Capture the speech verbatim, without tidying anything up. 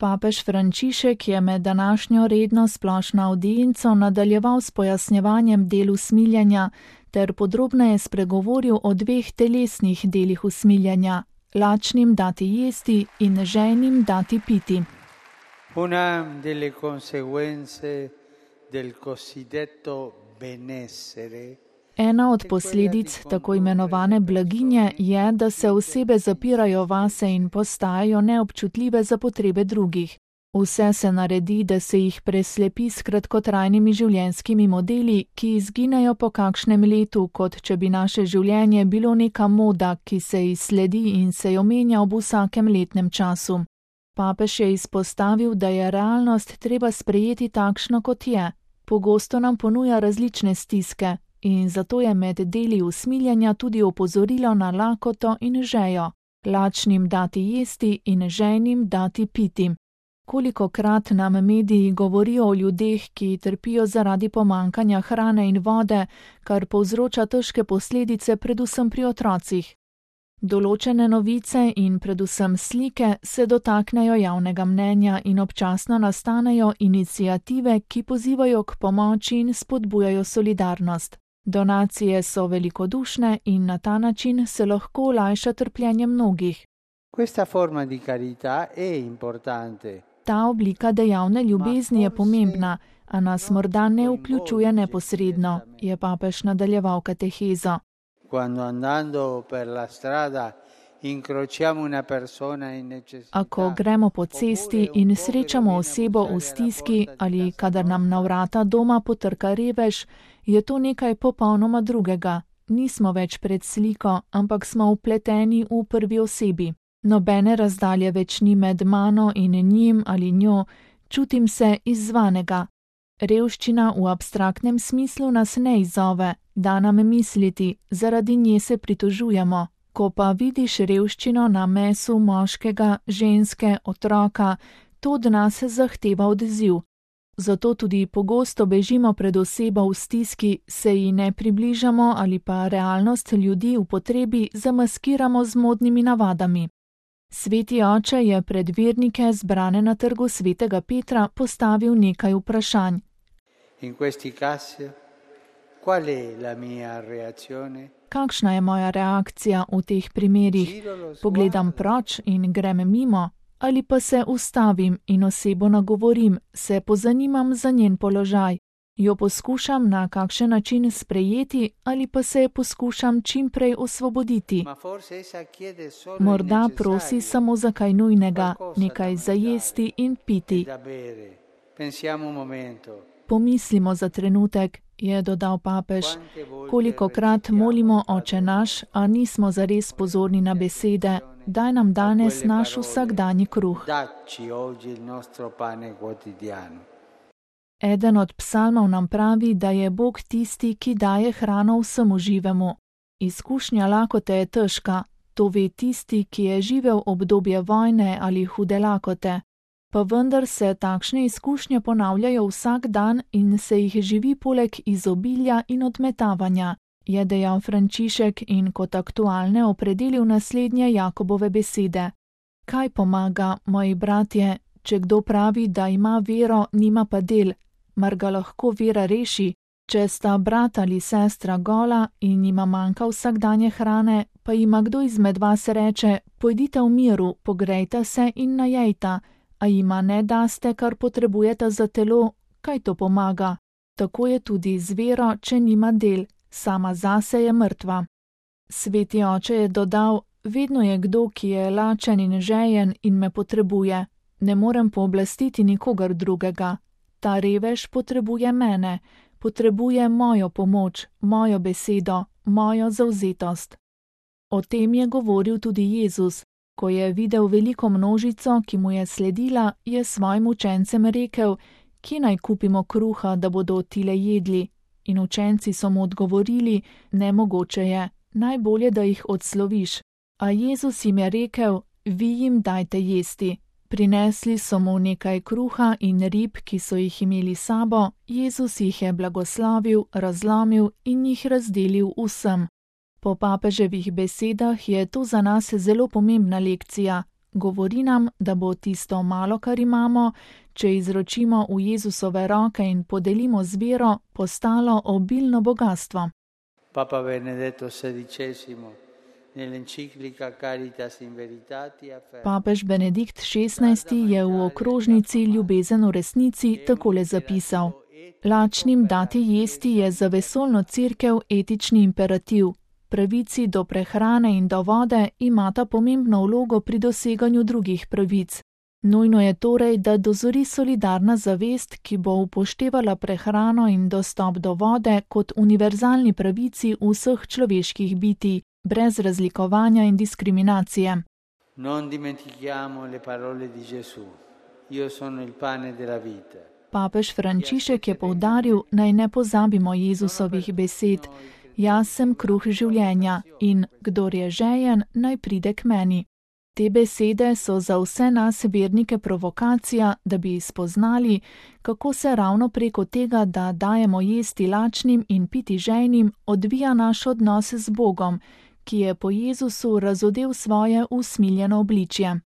Papež Frančišek je med današnjo redno splošno avdienco nadaljeval s pojasnjevanjem del usmiljenja ter podrobneje spregovoril o dveh telesnih delih usmiljenja, lačnim dati jesti in žejnim dati piti. Una delle conseguenze del cosiddetto benessere. Ena od posledic tako imenovane blaginje je, da se osebe zapirajo vase in postajajo neobčutljive za potrebe drugih. Vse se naredi, da se jih preslepi s kratkotrajnimi življenjskimi modeli, ki izginejo po kakšnem letu, kot če bi naše življenje bilo neka moda, ki se izsledi in se jo menja ob vsakem letnem času. Papež je izpostavil, da je realnost treba sprejeti takšno, kot je. Pogosto nam ponuja različne stiske in zato je med deli usmiljenja tudi opozorilo na lakoto in žejo, lačnim dati jesti in žejnim dati piti. Kolikokrat nam mediji govorijo o ljudeh, ki trpijo zaradi pomanjkanja hrane in vode, kar povzroča težke posledice predvsem pri otrocih. Določene novice in predvsem slike se dotaknejo javnega mnenja in občasno nastanejo iniciative, ki pozivajo k pomoči in spodbujajo solidarnost. Donacije so velikodušne in na ta način se lahko olajša trpljenje mnogih. Questa forma di carità è importante. Ta oblika dejavne ljubezni je pomembna, a nas morda ne vključuje neposredno, je papež nadaljeval katehezo. Quando andando per la strada incrociamo una persona in necessità. Ako gremo po cesti in srečamo osebo v stiski ali kadar nam na vrata doma potrka revež, je to nekaj popolnoma drugega. Nismo več pred sliko, ampak smo vpleteni v prvi osebi. Nobene razdalje več ni med mano in njim ali njo, čutim se izzvanega. Revščina v abstraktnem smislu nas ne izzove, da nam misliti, zaradi nje se pritožujemo. Ko pa vidiš revščino na mesu moškega, ženske, otroka, to od nas zahteva odziv. Zato tudi pogosto bežimo pred osebo v stiski, se ji ne približamo ali pa realnost ljudi v potrebi zamaskiramo z modnimi navadami. Sveti oče je pred vernike zbrane na trgu svetega Petra postavil nekaj vprašanj. In questi casi, qual è la mia reazione? Kakšna je moja reakcija v teh primerih? Pogledam proč in grem mimo? Ali pa se ustavim in osebo nagovorim, se pozanimam za njen položaj? Jo poskušam na kakšen način sprejeti ali pa se poskušam čim prej osvoboditi? Morda prosi samo za kaj nujnega, nekaj za jesti in piti. Pomislimo za trenutek, je dodal papež, kolikokrat molimo Oče naš, a nismo zares pozorni na besede, daj nam danes naš vsakdanji kruh. Eden od psalmov nam pravi, da je Bog tisti, ki daje hrano vsemu živemu. Izkušnja lakote je težka, to ve tisti, ki je živel obdobje vojne ali hude lakote. Pa vendar se takšne izkušnje ponavljajo vsak dan in se jih živi poleg izobilja in odmetavanja, je dejal Frančišek in kot aktualne opredelil naslednje Jakobove besede. Kaj pomaga, moji bratje, če kdo pravi, da ima vero, nima pa del, mar ga lahko vera reši? Če sta brat ali sestra gola in jima manjka vsakdanje hrane, pa jima kdo izmed vas reče, pojdite v miru, pogrejte se in najejta, a jima ne daste, kar potrebujete za telo, kaj to pomaga? Tako je tudi z vero, če nima del, sama zase je mrtva. Sveti oče je dodal, vedno je kdo, ki je lačen in žejen in me potrebuje. Ne morem pooblastiti nikogar drugega. Ta revež potrebuje mene, potrebuje mojo pomoč, mojo besedo, mojo zavzetost. O tem je govoril tudi Jezus. Ko je videl veliko množico, ki mu je sledila, je svojim učencem rekel, kje naj kupimo kruha, da bodo tile jedli? In učenci so mu odgovorili, nemogoče je, najbolje, da jih odsloviš. A Jezus jim je rekel, vi jim dajte jesti. Prinesli so mu nekaj kruha in rib, ki so jih imeli sabo, Jezus jih je blagoslavil, razlomil in jih razdelil vsem. Po papeževih besedah je to za nas zelo pomembna lekcija. Govori nam, da bo tisto malo, kar imamo, če izročimo v Jezusove roke in podelimo z vero, postalo obilno bogatstvo. Papa Benedetto sedicesimo nell'enciclica Caritas in Veritate afferma: Papež Benedikt šestnajsti je v okrožnici Ljubezen v resnici takole zapisal: Lačnim dati jesti je za vesoljno cerkev etični imperativ. Pravici do prehrane in do vode imata pomembno vlogo pri doseganju drugih pravic. Nujno je torej, da dozori solidarna zavest, ki bo upoštevala prehrano in dostop do vode kot univerzalni pravici vseh človeških bitij, brez razlikovanja in diskriminacije. Non dimentichiamo le parole di Gesù. Io sono il pane della vita. Papež Frančišek je poudaril, naj ne pozabimo Jezusovih besed: Jaz sem kruh življenja in kdor je žejen, naj pride k meni. Te besede so za vse nas vernike provokacija, da bi spoznali, kako se ravno preko tega, da dajemo jesti lačnim in piti žejnim, odvija naš odnos z Bogom, ki je po Jezusu razodel svoje usmiljeno obličje.